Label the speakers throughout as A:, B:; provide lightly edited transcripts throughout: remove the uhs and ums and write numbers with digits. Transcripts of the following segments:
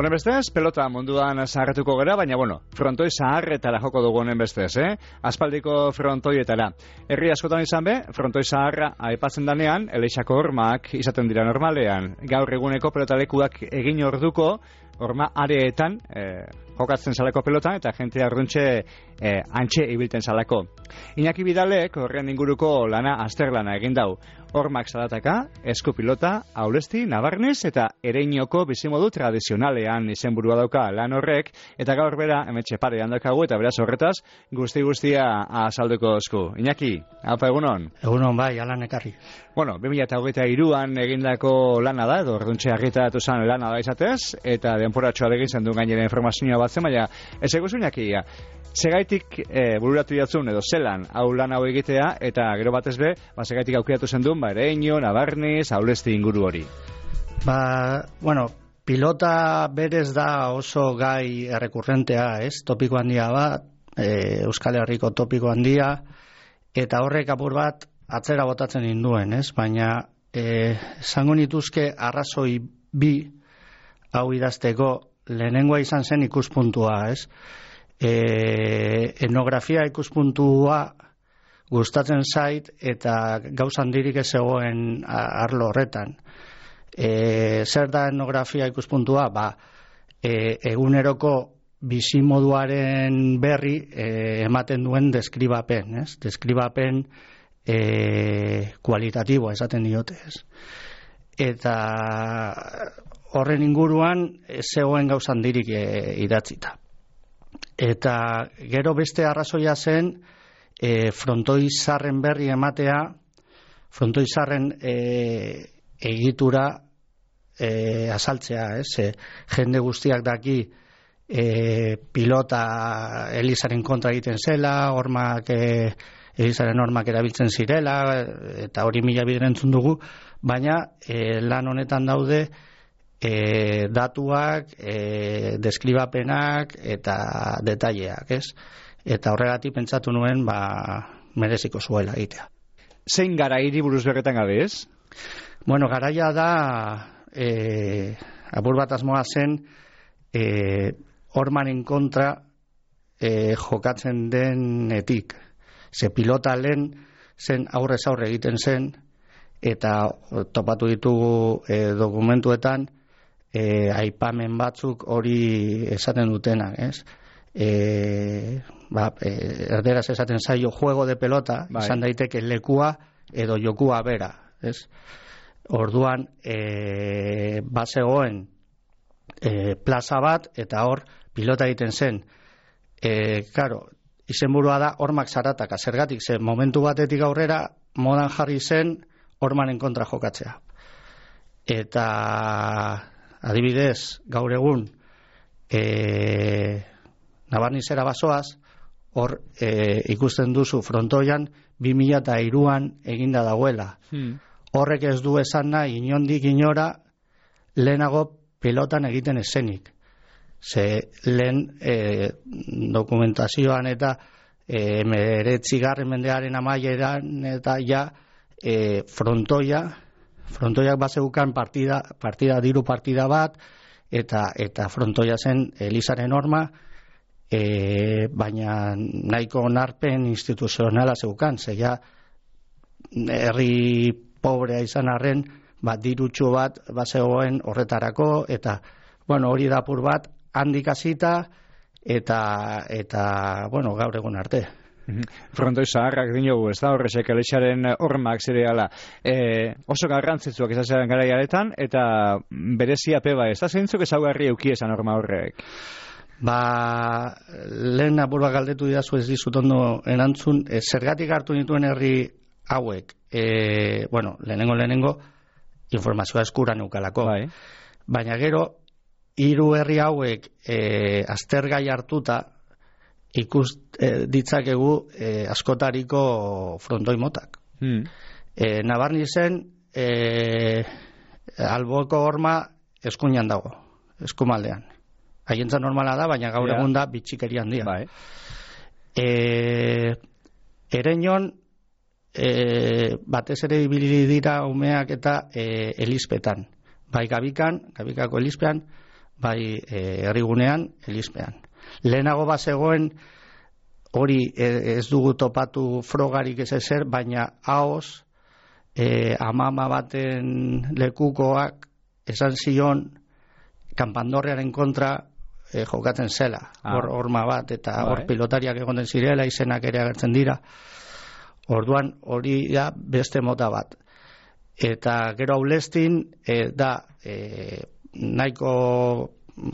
A: Honen bestez, pelota munduan zaharretuko gara, baina frontoi zaharretara joko dugu honen bestez, aspaldiko frontoietara. Herri askotan izan be, frontoi zaharra aipatzen danean, Eleixako hormak izaten dira normalean. Gaur eguneko pelotalekuak egin orduko, horma areetan jokatzen salako pelotan eta jentea arruntxe antxe ibilten salako. Iñaki Bidalek horren inguruko lana azterlana egin dau. Hormak salataka, eskupilota, aulesti, nabarnez eta ereinoko bizimodu tradizionalean izenburua dauka lan horrek, eta gaur bera hemetxe parean daukagu eta beraz horretaz guztia azalduko esku. Iñaki, alpa egunon?
B: Egunon bai, alan ekarri.
A: 2023an egindako lana da, edo orduntxe argitaratu zen lana da izatez, eta denporatxoa egin zen du gainera informazioa batzen, baina ez eguzu Iñaki, segaitik bururatu jatzun edo zelan hau lan hau egitea, eta gero batez be, segaitik aukiratu zen duen, ereino, nabarniz, aulesti inguru hori.
B: Pilota berez da oso gai errekurrentea, topiko handia bat, Euskal Herriko topiko handia, eta horrek apur bat atzera botatzen induen, baina esango nituzke arrazoi bi hau idazteko lehenengoa izan zen ikuspuntua, etnografia ikuspuntua gustatzen zait eta gauza handirik ez zegoen arlo horretan. Zer da etnografia ikuspuntua? Eguneroko bizimoduaren berri ematen duen deskribapen, deskribapen kualitatiboa esaten diote, eta horren inguruan ez zegoen gauza handirik idatzita. Eta gero beste arrazoia zen frontoi zarren berri ematea, frontoi zarren egitura azaltzea, jende guztiak daki pilota Elizaren kontra egiten zela, Elizaren hormak erabiltzen zirela, eta hori mila bider entzun dugu, baina lan honetan daude datuak, deskribapenak eta detaileak, Eta horregatik pentsatu nuen, mereziko zuela egitea.
A: Zein garairi buruz berretan gabe, ez?
B: Garaia da, apur bat asmoa zen, hormaren kontra jokatzen denetik. Ze pilota lehen zen aurrez aurre egiten zen, eta topatu ditugu dokumentuetan, aipamen batzuk hori esaten dutenak, erderaz esaten zaio juego de pelota, izan daiteke lekua edo jokua bera, Orduan bazegoen plaza bat eta hor pilota egiten zen. Izenburua da hormak zarataka, zergatik zen momentu batetik aurrera modan jarri zen hormaren kontra jokatzea. Eta adibidez, gaur egun Nabarnizera bazoaz, hor ikusten duzu frontoian 2003an eginda dagoela. Horrek ez du esan nahi inondik inora lehenago pelotan egiten esenik. Ze lehen dokumentazioan eta 19. mendearen amaieran eta frontoiak bazeukan diru partida bat eta frontoia zen Elizaren horma, baina nahiko onarpen instituzionala zeukan, zeia herri pobrea izan arren, dirutxo bat bazegoen horretarako, eta hori da apur bat handik hasita eta gaur egun arte.
A: Frontoi zaharrak dinogu, ez da horrezek Elixaren hormak zireala oso garrantzitsuak izatzen garaiaretan, eta berezia peba, ez da zeintzuk ezaugarri euki esan horma horrek?
B: Lehen apur bat galdetu didazu ez dizut ondo erantzun, zergatik hartu nituen herri hauek, lehenengo informazioa eskura neukalako, baina gero hiru herri hauek aztergai hartuta ikus ditzakegu askotariko frontoi motak. Nabarnizen alboko horma eskuinan dago, eskumaldean. Haientza normala da, baina gaur egun da bitxikeri handia. Ereinon batez ere ibili dira umeak eta elizpetan. Bai Gabikako elizpean, bai herrigunean, Elizpean. Lehenago bazegoen hori ez dugu topatu frogarik ez ezer, baina haoz amama baten lekukoak esan zion kanpandorrearen kontra jokatzen zela. Horma bat eta hor pilotariak egoten zirela, izenak ere agertzen dira. Orduan hori da beste mota bat. Eta gero Aulestin da nahiko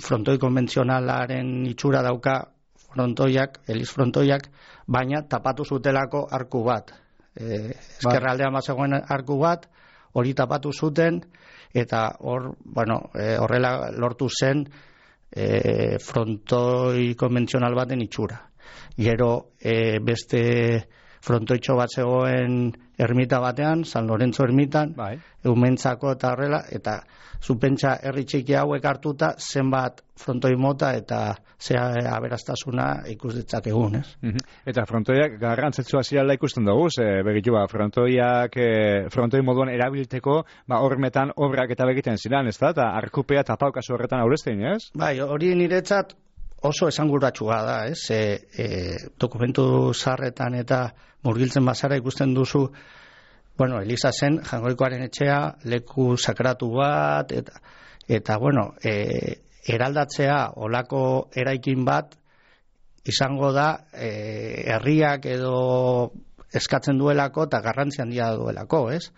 B: frontoi konbentzionalaren itxura dauka frontoiak, Eliz frontoiak, baina tapatu zutelako arku bat. Ezkerraldean bazegoen arku bat, hori tapatu zuten, eta horrela lortu zen frontoi konbentzional baten itxura. Gero beste frontoitxo bat zegoen ermita batean, San Lorenzo ermitan, eumentzako eta horrela, eta zupentsa herri txiki hauek hartuta zenbat frontoi mota eta zea aberastasuna ikus ditzakegun, ez?
A: Eta frontoiak garrantzitsua zirela ikusten dugu, begitu frontoi moduan erabilteko hormetan obrak eta begiten ziren, ez da? Eta arkupea eta paukazu horretan Aulestin, ez?
B: Bai, hori niretzat oso esanguratsua da, ez? Dokumentu zaharretan eta murgiltzen bazara ikusten duzu, Eliza zen Jangoikoaren etxea, leku sakratu bat, eta eraldatzea olako eraikin bat izango da herriak edo eskatzen duelako eta garrantzi handia duelako, ez?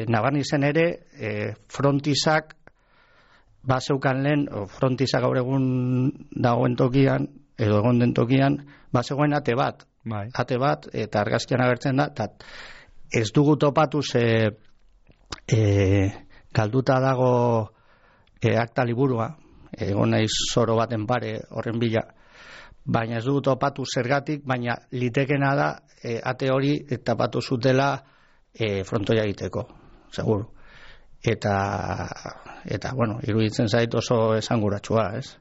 B: Nabarnizen ere, frontizak bazeukan lehen, frontizak gaur egun dagoen tokian, edo egon den tokian, bazegoen ate bat, eta argazkian agertzen da, eta ez dugu topatu galduta dago akta liburua, egon naiz zoro baten pare horren bila, baina ez dugu topatu zergatik, baina litekena da ate hori tapatu zutela frontoia egiteko, seguru. Eta iruditzen zait oso esanguratsua, ez?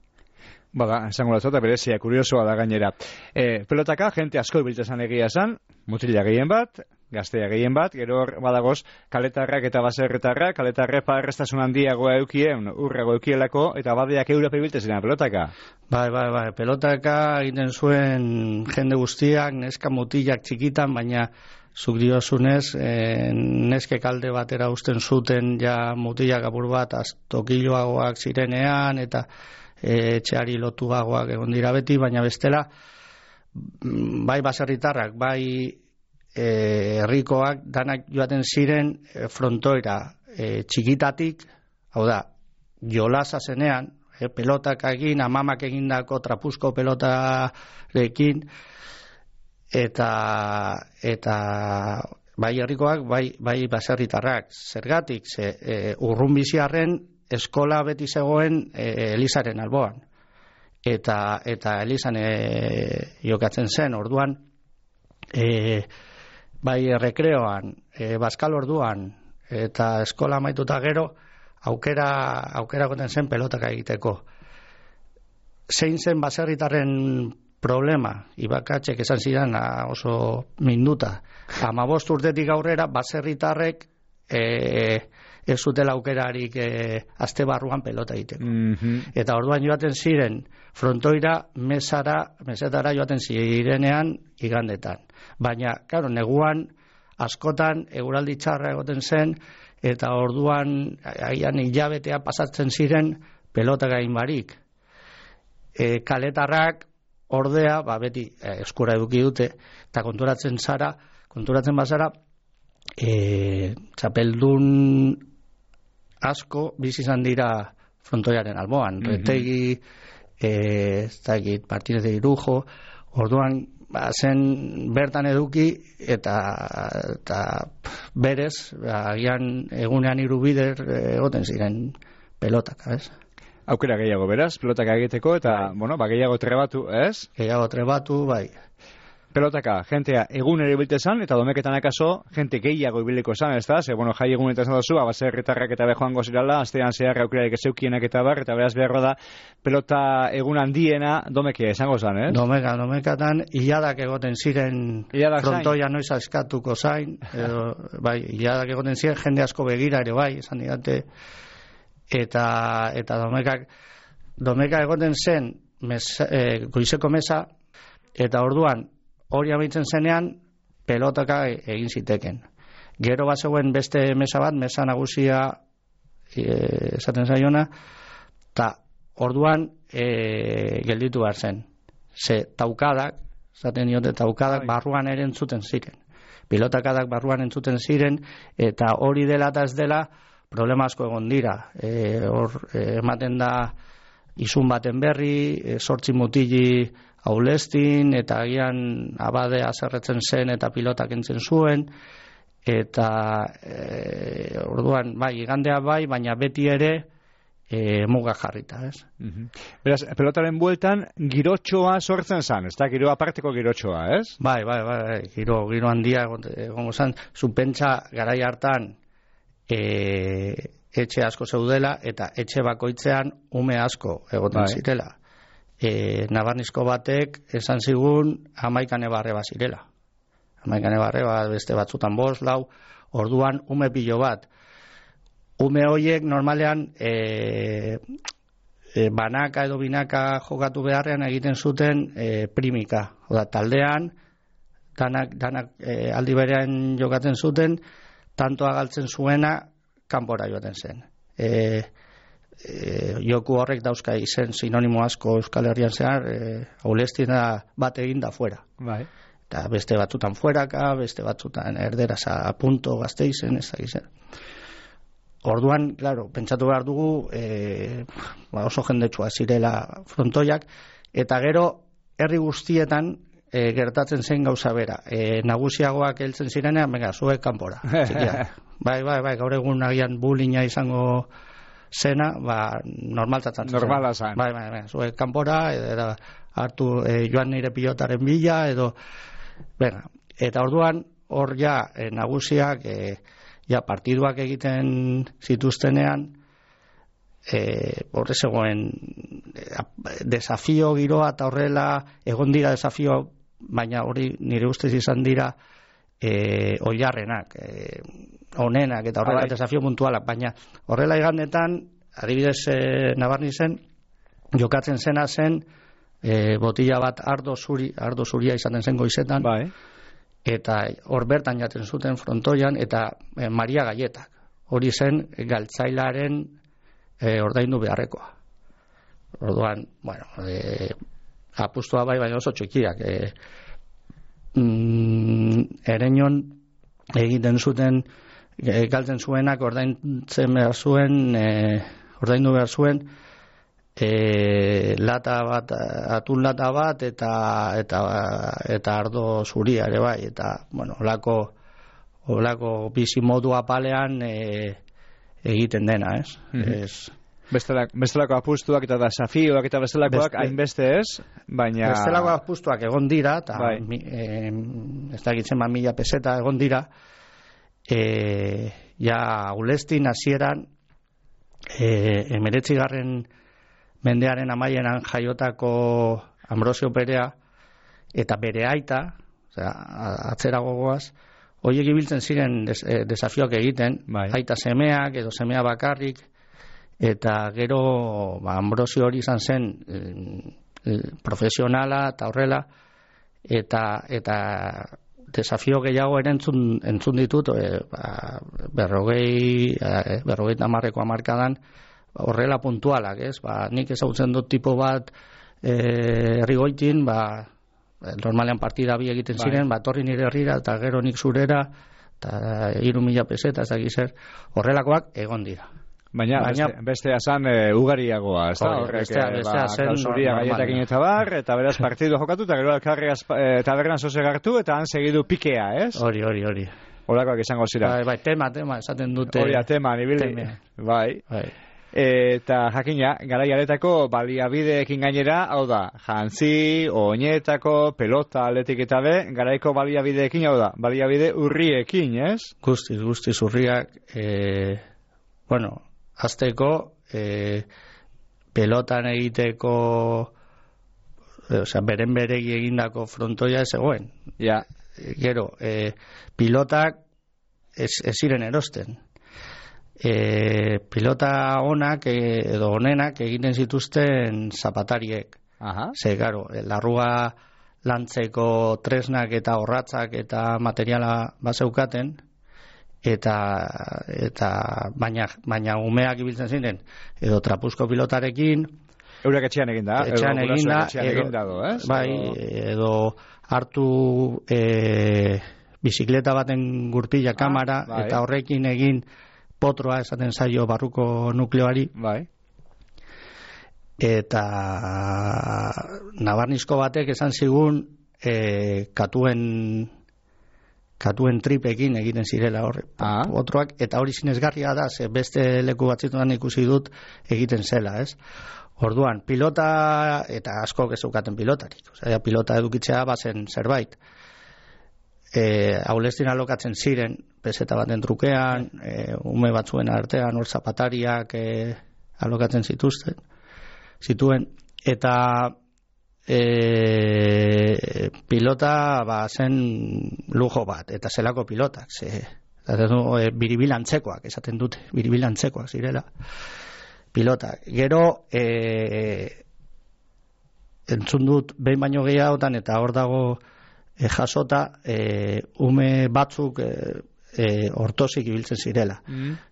A: Bada, esanguratsua eta berezia, kuriosoa da gainera. Pelotaka, jente asko ibiltzen egia esan, mutila gehien bat, gaztea gehien bat, gero badagoz kaletarrak eta baserritarrak, kaletarre parrestasun handiagoa eukien, urrago eukielako, eta badeak Europe ibiltzen pelotaka.
B: Bai, pelotaka egiten zuen jende guztiak, neska mutilak txikitan, baina zuk diozunez, neske kalde batera usten zuten ja mutilak apur bat, tokiloagoak zirenean, eta etxeari lotuagoak egon dira beti, baina bestela, bai baserritarrak, bai herrikoak danak joaten ziren frontoira txikitatik, hau da, jolasa zenean, pelotak egin, amamak egindako trapuzko pelotarekin, eta bai herrikoak, bai baserritarrak. Zergatik, urrun biziarren eskola beti zegoen Elizaren alboan. Eta Elizan jokatzen zen, orduan, bai rekreoan, bazkal orduan, eta eskola amaituta gero, aukera goten zen pelotaka egiteko. Zein zen baserritarren problema, ibakatxek esan zidan oso minduta. 15 urtetik aurrera, baserritarrek ez zutela aukerarik aste barruan pelota egiteko. Eta orduan joaten ziren frontoira mesetara joaten zirenean igandetan. Baina, claro, neguan askotan eguraldi txarra egoten zen, eta orduan aian hilabetea pasatzen ziren pelota gain barik. Kaletarrak ordea, beti eskura eduki dute, eta konturatzen bazara, txapeldun asko bizi izan dira frontoiaren alboan. Retegi, Martínez de Irujo, orduan zen bertan eduki eta berez, agian egunean 3 bider egoten ziren pelotak, ez?
A: Aukera gehiago beraz, pelotaka egiteko, eta, gehiago trebatu, ez?
B: Gehiago trebatu, bai.
A: Pelotaka, jentea egunero ibiltezan, eta domeketan akaso, jente gehiago ibiliko esan, ez da? Jai egunetan esan dozu, baserritarrak eta bejoango zirala, astean zehar aukerarik ezeukienak eta bar, eta beraz beharro da, pelota egun handiena domekia esango zan, ez?
B: Domekatan, hiladak egoten ziren frontoia noiz askatuko zain, bai, hiladak egoten ziren, jende asko begira ere bai, esan didate, eta domekak domeka egoten zen goizeko mesa, eta orduan hori amaitzen zenean pelotaka egin ziteken. Gero bazegoen beste mesa bat, mesa nagusia esaten zaiona, eta orduan gelditu behar zen. Ze taukadak, esaten diote taukadak barruan ere entzuten ziren. Pilotakadak barruan entzuten ziren, eta hori dela eta ez dela problema asko egon dira. Ematen da izun baten berri, 8 mutili aulestin, eta agian abade azerretzen zen eta pilotak entzen zuen, eta orduan, bai, igandea bai, baina beti ere muga jarrita, ez?
A: Beraz, pelotaren bueltan girotxoa sortzen zan, ez da? Giro aparteko girotxoa, ez?
B: Bai, giro handia egongo zan, zupentsa garai hartan etxe asko zeudela, eta etxe bakoitzean ume asko egoten zirela. Nabarnizko batek esan zigun 11 nebarre bat zirela. 11 nebarre bat, beste batzutan 5, 4, orduan ume pilo bat. Ume horiek normalean banaka edo binaka jokatu beharrean egiten zuten primika. Oda, taldean, danak aldi berean jokatzen zuten, tantoa galtzen zuena kanpora joaten zen. Joku horrek dauzka izen sinonimo asko Euskal Herrian zehar, aulestina bat egin da fuera.
A: Bai.
B: Eta beste batzutan fueraka, beste batzutan erderaz a punto Gasteizen, ez da gizera. Orduan, claro, pentsatu behar dugu oso jendetsua zirela frontoiak, eta gero herri guztietan gertatzen zen gauza bera. Nagusiagoak heltzen zirenean, venga, zuek kanpora. Bai, gaur egun agian bullyinga izango zena, normaltatzen zen.
A: Normala zen.
B: Bai, zuek kanpora, edo hartu joan nire pilotaren bila, edo, venga, eta orduan, hor ja, nagusiak, partiduak egiten zituztenean, horre zegoen desafio giroa eta horrela egon dira desafio, baina hori nire ustez izan dira oilarrenak, onenak eta horrela desafio puntualak, baina horrela igandetan, adibidez Nabarnizen, jokatzen zena zen botila bat ardo zuria izaten zen goizetan, eta hor bertan jaten zuten frontoian, eta Maria Gaietak, hori zen galtzailaren ordaindu beharrekoa. Orduan, bueno, apustua bai, baina oso txikiak. Ereñon egiten zuten, galtzen zuenak ordaintzen behar zuen, ordaindu behar zuen, lata bat, atun lata bat, eta ardo zuria ere bai, eta, bueno, olako bizi modu apalean egiten dena, ez?
A: Bestelako apustuak eta desafioak eta bestelakoak hainbeste ez, baina...
B: Bestelako apustuak egon dira, eta ez da egitzen 1000 peseta egon dira, ja Aulestin hasieran 19. mendearen amaieran jaiotako Ambrosio Perea eta bere aita, atzera gogoaz, horiek ibiltzen ziren desafioak egiten, aita semeak edo semea bakarrik, eta gero Ambrosio hori izan zen profesionala eta horrela, eta desafio gehiago ere entzun ditut 50 hamarkadan horrela puntualak, ez? Nik ezagutzen dut tipo bat herrigoitin, normalean partida bi egiten ziren, torri nire herrira eta gero nik zurera, eta 3000 peseta, ez dakit zer, horrelakoak egon dira.
A: Baina bestea zan ugariagoa, ez da?
B: Bestea zen
A: zuria gaietakin eta bar, eta beraz partidu jokatu, eta gero alkarri tabernan zoze gartu, eta han segidu pikea, ez?
B: Hori.
A: Holakoak izango zira.
B: Bai, tema, esaten dute.
A: Hori, tema, nibili. Bai. Eta jakina, garaiaretako baliabideekin gainera, hau da, jantzi, oinetako, pelota, atletik eta garaiko baliabideekin, hau da, baliabide urriekin, ez?
B: Guztiz urriak, bueno, azteko, pelotan egiteko, beren beregi egindako frontoia ez egoen.
A: Ja.
B: Gero, pilotak ez ziren erosten. pilota onak edo onenak egiten zituzten zapatariek. Ze, garo, larrua lantzeko tresnak eta orratzak eta materiala bazeukaten, eta baina umeak ibiltzen ziren, edo trapuzko pilotarekin,
A: eurak etxean eginda,
B: bai, edo hartu bizikleta baten gurpila kamera, eta horrekin egin potroa esaten zaio barruko nukleoari, eta nabarnizko batek esan zigun katuen tripekin egiten zirela horre potroak, eta hori sinesgarria da, ze beste leku batzituan ikusi dut egiten zela, ez? Orduan, pilota, eta asko gezeukaten pilotarik, osea, pilota edukitzea bazen zerbait, aulestin alokatzen ziren peseta baten trukean, ume batzuen artean, hor zapatariak alokatzen zituen, eta pilota zen lujo bat, eta zelako pilotak, biribilantzekoak, esaten dute, biribilantzekoak zirela pilotak. Gero entzun dut behin baino gehiagotan, eta hor dago jasota, ume batzuk ortosik ibiltzen zirela.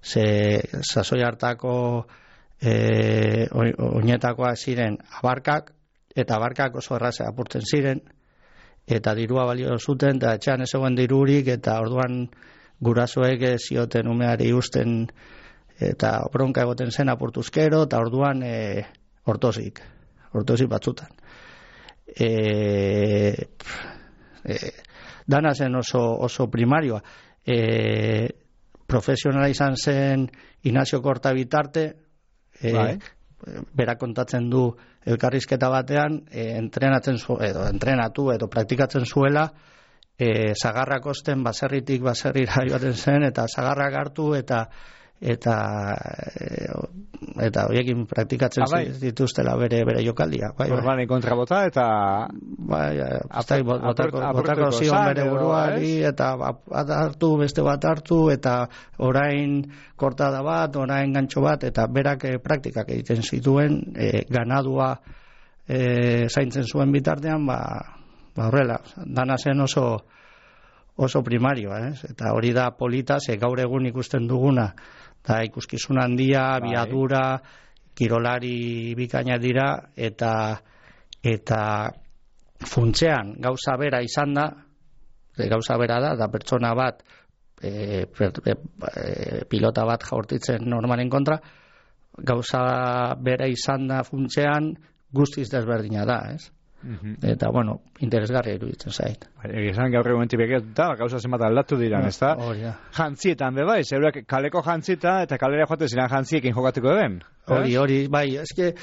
B: Ze sasoi hartako oinetakoa ziren abarkak, eta abarkak oso erraze apurtzen ziren, eta dirua balio zuten, eta etxean ez zegoen dirurik, eta orduan gurasoek zioten umeari usten, eta bronka egoten zen apurtuzkero, eta orduan ortosik batzutan. Dana zen oso primarioa. Profesionala izan zen Ignacio Korta bitarte, berak kontatzen du elkarrizketa batean, entrenatu edo praktikatzen zuela, zagarrak osten baserritik baserrira joaten zen, eta zagarrak hartu, eta horiekin praktikatzen dituztela bere jokaldia.
A: Orbanen kontrabota eta
B: botako zion bere buruari, eta hartu, beste bat hartu, eta orain kortada bat, orain gantxo bat, eta berak praktikak egiten zituen, ganadua zaintzen zuen bitartean, horrela, dana zen oso primarioa, eta hori da polita, ze gaur egun ikusten duguna, da ikuskizun handia, biadura, kirolari bikaina dira, eta funtzean gauza bera izan da, gauza bera da pertsona bat, pilota bat jaurtitzen normalen kontra, gauza bera izan da funtzean guztiz desberdina da, ez? Eta, bueno, interesgarria iruditzen zait.
A: Egizan gaur egun begetuta, gauza zenbat aldatu diran, ez da? Jantzietan, bai, zeurak kaleko jantzita, eta kalera joate ziren jantziekin jokatuko den?
B: Hori, bai, eske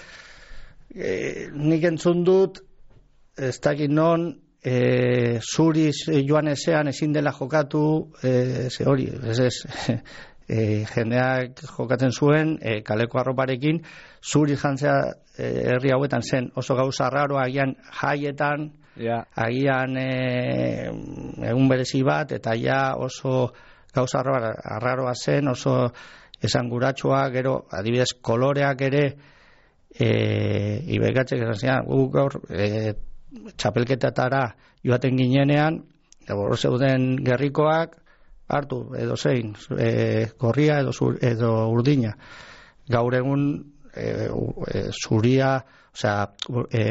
B: nik entzun dut, ez dakit non, zuriz joan ezean ezin dela jokatu, hori, jendeak jokatzen zuen, kaleko arroparekin, zuriz jantzea herri hauetan zen oso gauza raroa, agian jaietan, agian egun berezi bat, eta ja oso gauza raroa zen, oso esanguratsua, gero adibidez koloreak ere, ibekatzek esan zian, gaur txapelketatara joaten ginenean, hor zeuden gerrikoak hartu, edo zein, gorria edo urdina. Gaur egun zuria, osea,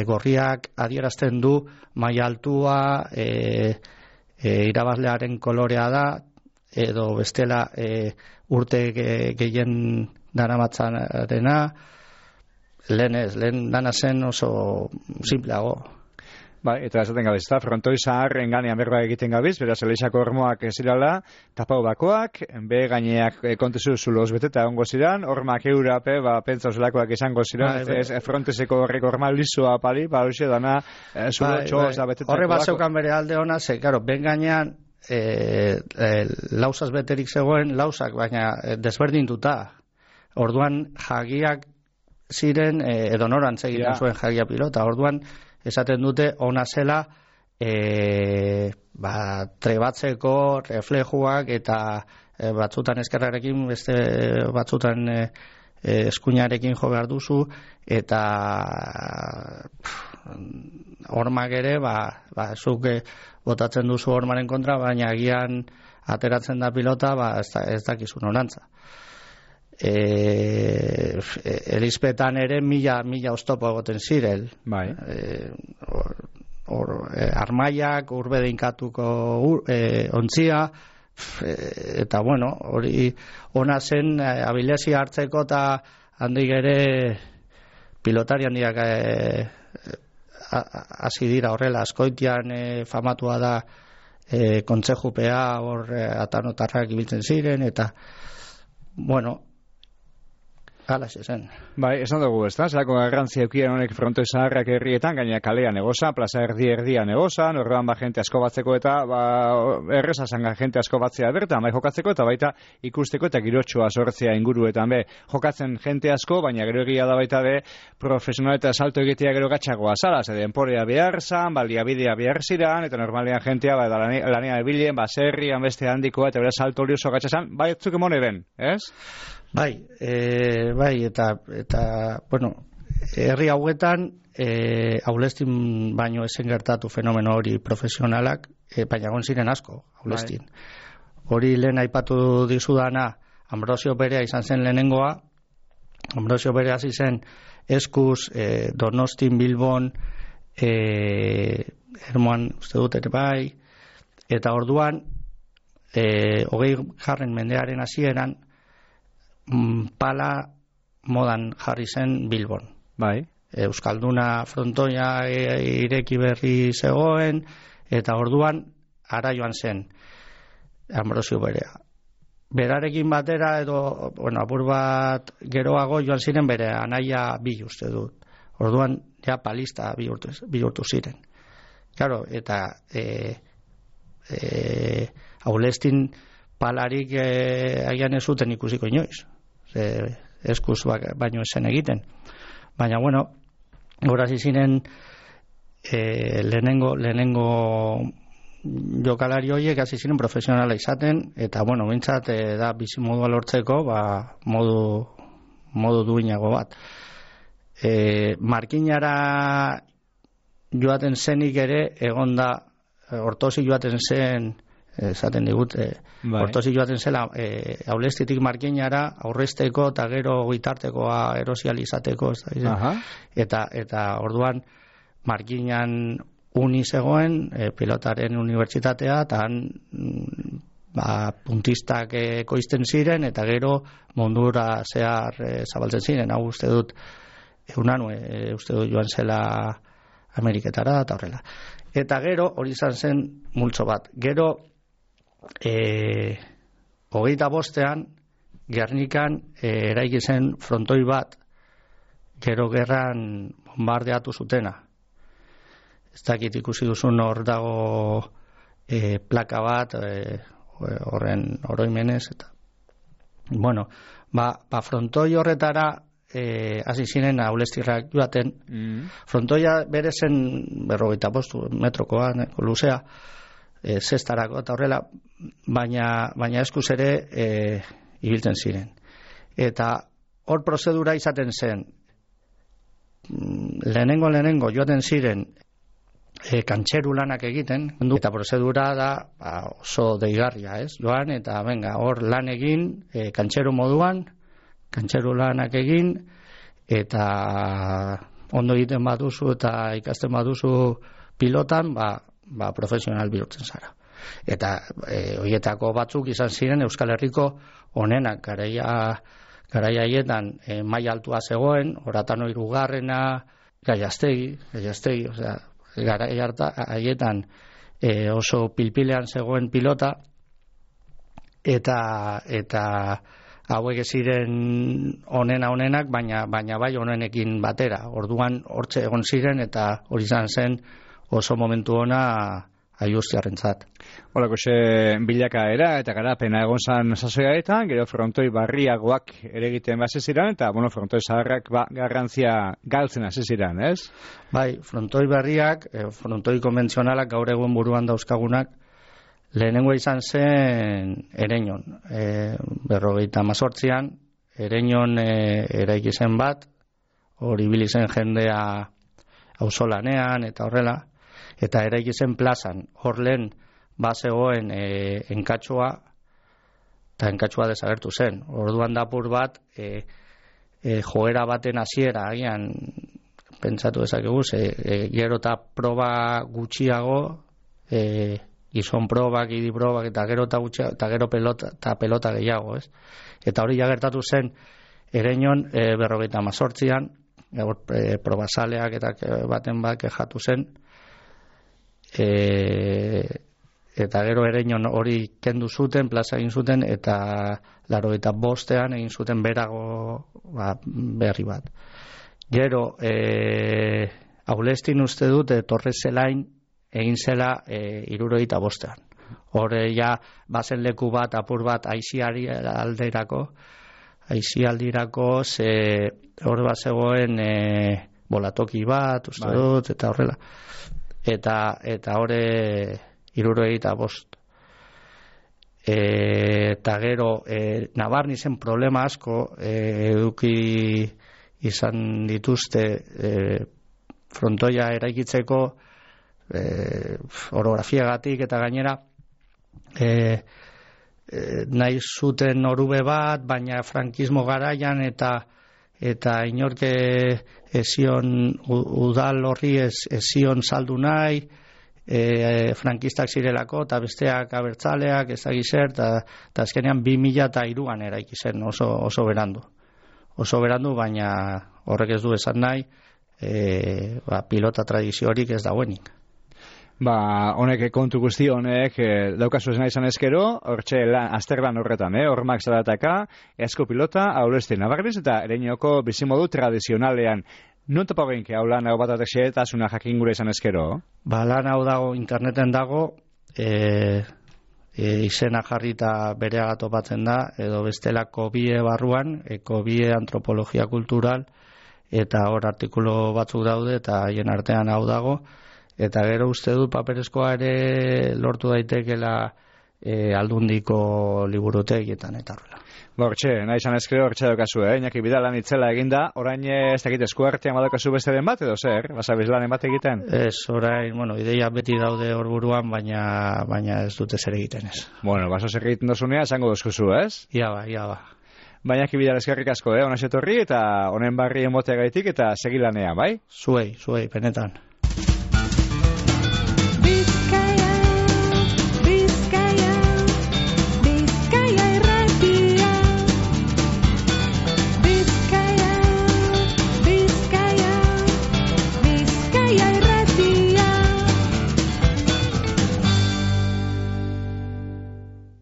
B: gorriak adierazten du maila altua, irabazlearen kolorea da, edo bestela urte gehien daramatzarena, lehen dana zen oso simpleago.
A: Bai, eta esaten gabiz, eta frontoi zaharren ganean berba egiten gabiz, beraz, eleixako hormoak zirala, tapau bakoak, be gaineak kontezu zuloz beteta ongo ziren, hormak eurape, pentsa zelakoak izango ziren, fronteseko horreko horma lisoa pali, hoxe dana zulo txoz da beteta.
B: Horre bat zeukan bere alde hona, ze, karo, ben gainean lausaz beterik zegoen, lausak, baina desberdintuta. Orduan, jagiak ziren, edo norantz egiten zuen jagia pilota, orduan, esaten dute ona zela trebatzeko reflejuak eta batzutan eskerrarekin, beste batzutan eskuinarekin jo behar duzu, eta hormak ere, zuk botatzen duzu hormaren kontra, baina agian ateratzen da pilota, ez dakizu norantza. Elizpetan ere mila oztopo egoten zirel.
A: Bai.
B: Armaiak, urbe deinkatuko ontzia, eta bueno, hori ona zen abilezia hartzeko eta handik ere pilotari handiak hasi dira horrela. Azkoitian famatua da kontsejupea hor atanotarrak ibiltzen ziren, eta bueno, halaxe zen.
A: Bai, esan dugu, ez da? Zerako garrantzia eukien honek frontoi zaharrak herrietan, gaina kalean egoza, plaza erdian egoza, orduan jente asko batzeko eta erreza zanga jente asko batzea bertan, bai jokatzeko eta baita ikusteko eta girotxoa sortzea inguruetan be. Jokatzen jente asko, baina gero egia da baita be profesional eta salto egitea gero gatxagoa zala, ze denporea behar zan, baliabidea behar ziran, eta normalean jentea lanean ebilen, baserrian beste handikoa, eta bera salto hori oso gatxazan, bai etzuk emone ben, ez?
B: Bai, eta bueno, herri hauetan aulestin baino esen gertatu fenomeno hori profesionalak, baina egon ziren asko aulestin. Hori lehen aipatu dizudana, Ambrosio Berea izan zen lehenengoa. Ambrosio Berea hasi zen eskuz, Donostin, Bilbon, Ermoan uste dut ere bai, eta orduan 20. mendearen hasieran pala modan jarri zen Bilbon.
A: Bai.
B: Euskalduna frontoia ireki berri zegoen, eta orduan ara joan zen Ambrosio Berea. Berarekin batera edo, bueno, apur bat geroago joan ziren bere anaia bi uste dut. Orduan ja palista bihurtu ziren. Claro, eta aulestin palarik agian ez zuten ikusiko inoiz. Eskuz baino esen egiten. Baina, bueno, horaz izinen lehenengo jokalari horiek hasi ziren profesionala izaten, eta, bueno, bintzat da bizimodua lortzeko, modu duinago bat. Markinara joaten zenik ere, egon da, hortozi joaten zen, esaten digut, hortozi joaten zela aulestitik markinara aurrezteko eta gero gitartekoa erosializateko, eta orduan markinan uni zegoen, pilotaren unibertsitatea, eta han puntistak ekoizten ziren, eta gero mundura zehar zabaltzen ziren. Hau uste dut uste dut joan zela Ameriketara eta horrela. Eta gero hori izan zen multzo bat. Gero 25ean Gernikan eraiki zen frontoi bat gero gerran bombardeatu zutena. Ez dakit ikusi duzun hor dago plaka bat horren oroimenez, eta bueno, frontoi horretara hasi ziren aulestirrak joaten. Frontoia bere zen 45 metrokoa luzea, zestarako eta horrela, baina eskuz ere ibiltzen ziren. Eta hor prozedura izaten zen, lehenengo joaten ziren kantxeru lanak egiten, eta prozedura da oso deigarria, ez? Joan, eta venga, hor lan egin, kantxeru moduan, kantxeru lanak egin, eta ondo egiten baduzu eta ikasten baduzu pilotan, profesional bihurtzen zara. Eta horietako batzuk izan ziren Euskal Herriko onenak, garaia haietan maila altua zegoen, Oratano 3. Gaiastegi, osea, garaia haietan oso pilpilean zegoen pilota, eta hauek ziren onenak, baina bai onenekin batera. Orduan hortxe egon ziren, eta hori izan zen oso momentu ona aiustiarrentzat.
A: Horako bilakaera eta garapena egon zan sasoiaetan, gero frontoi barriagoak ere egiten hasi ziren, eta frontoi zaharrak garrantzia galtzen hasi ziren, ez?
B: Bai, frontoi berriak, frontoi konbentzionalak gaur egun buruan dauzkagunak, Lehenengo izan zen Ereñon, 58an, Ereñon eraiki zen bat, hori ibili zen jendea auzolanean eta horrela, eta eraiki zen plazan, hor lehen bazegoen enkatxoa, eta enkatxoa desagertu zen. Orduan dapur bat, joera baten hasiera agian, pentsatu dezakegu, gero eta proba gutxiago, gizon probak, idi probak, eta gero pelota gehiago, ez? Eta hori jagertatu zen Ereñon 58an, probazaleak eta baten bat kexatu zen, eta gero Ereñon hori kendu zuten, plaza egin zuten, eta 85an egin zuten berago berri bat. Gero, Aulestin uste dut, Torrezelain egin zela 75an. Hore ja bazen leku bat, apur bat aizialdirako, ze hor bat zegoen bolatoki bat, uste dut, eta horrela. Eta hore 75. Eta gero, nabarni zen problema asko, eduki izan dituzte frontoia eraikitzeko, orografiagatik eta gainera nahi zuten orube bat, baina frankismo garaian eta inorke ezion udal horri ezion saldu nahi, frankistak zirelako eta besteak abertzaleak ezagizer, eta azkenean 2003an eraiki zen oso berandu. Oso berandu, baina horrek ez du esan nahi, pilota tradizio horik ez dauenik.
A: Honek kontu guzti honek daukazu esna izan ezkero, hortxe azterlan horretan, hormak zarataka, esko pilota, Aulestin nabarriz eta Ereñoko bizimodu tradizionalean. Non topa genke hau lan hau batatek xeetasuna jakingura izan ezkero?
B: Lan hau dago, interneten dago, izena jarrita bereaga topatzen da, edo bestela Kobie barruan, Kobie antropologia kultural, eta hor artikulu batzuk daude, eta haien artean hau dago, eta gero uste dut paperezkoa ere lortu daitekela aldundiko liburutegietan eta horrela.
A: Hortxe, nahi izan ezkero hortxe daukazu, Iñaki Bidalan itzela eginda, orain ez dakit eskuartean badaukazu beste den bat edo zer? Basabiz lanen bat egiten?
B: Ez, orain, ideia beti daude hor buruan, baina ez dute zer egiten ez.
A: Baso zer egiten dozunea, esango dozkuzu, ez?
B: Ia ba.
A: Baina Bidal eskerrik asko, ona etorri eta honen barri emoteagaitik eta segilanean, bai?
B: Zuei, benetan.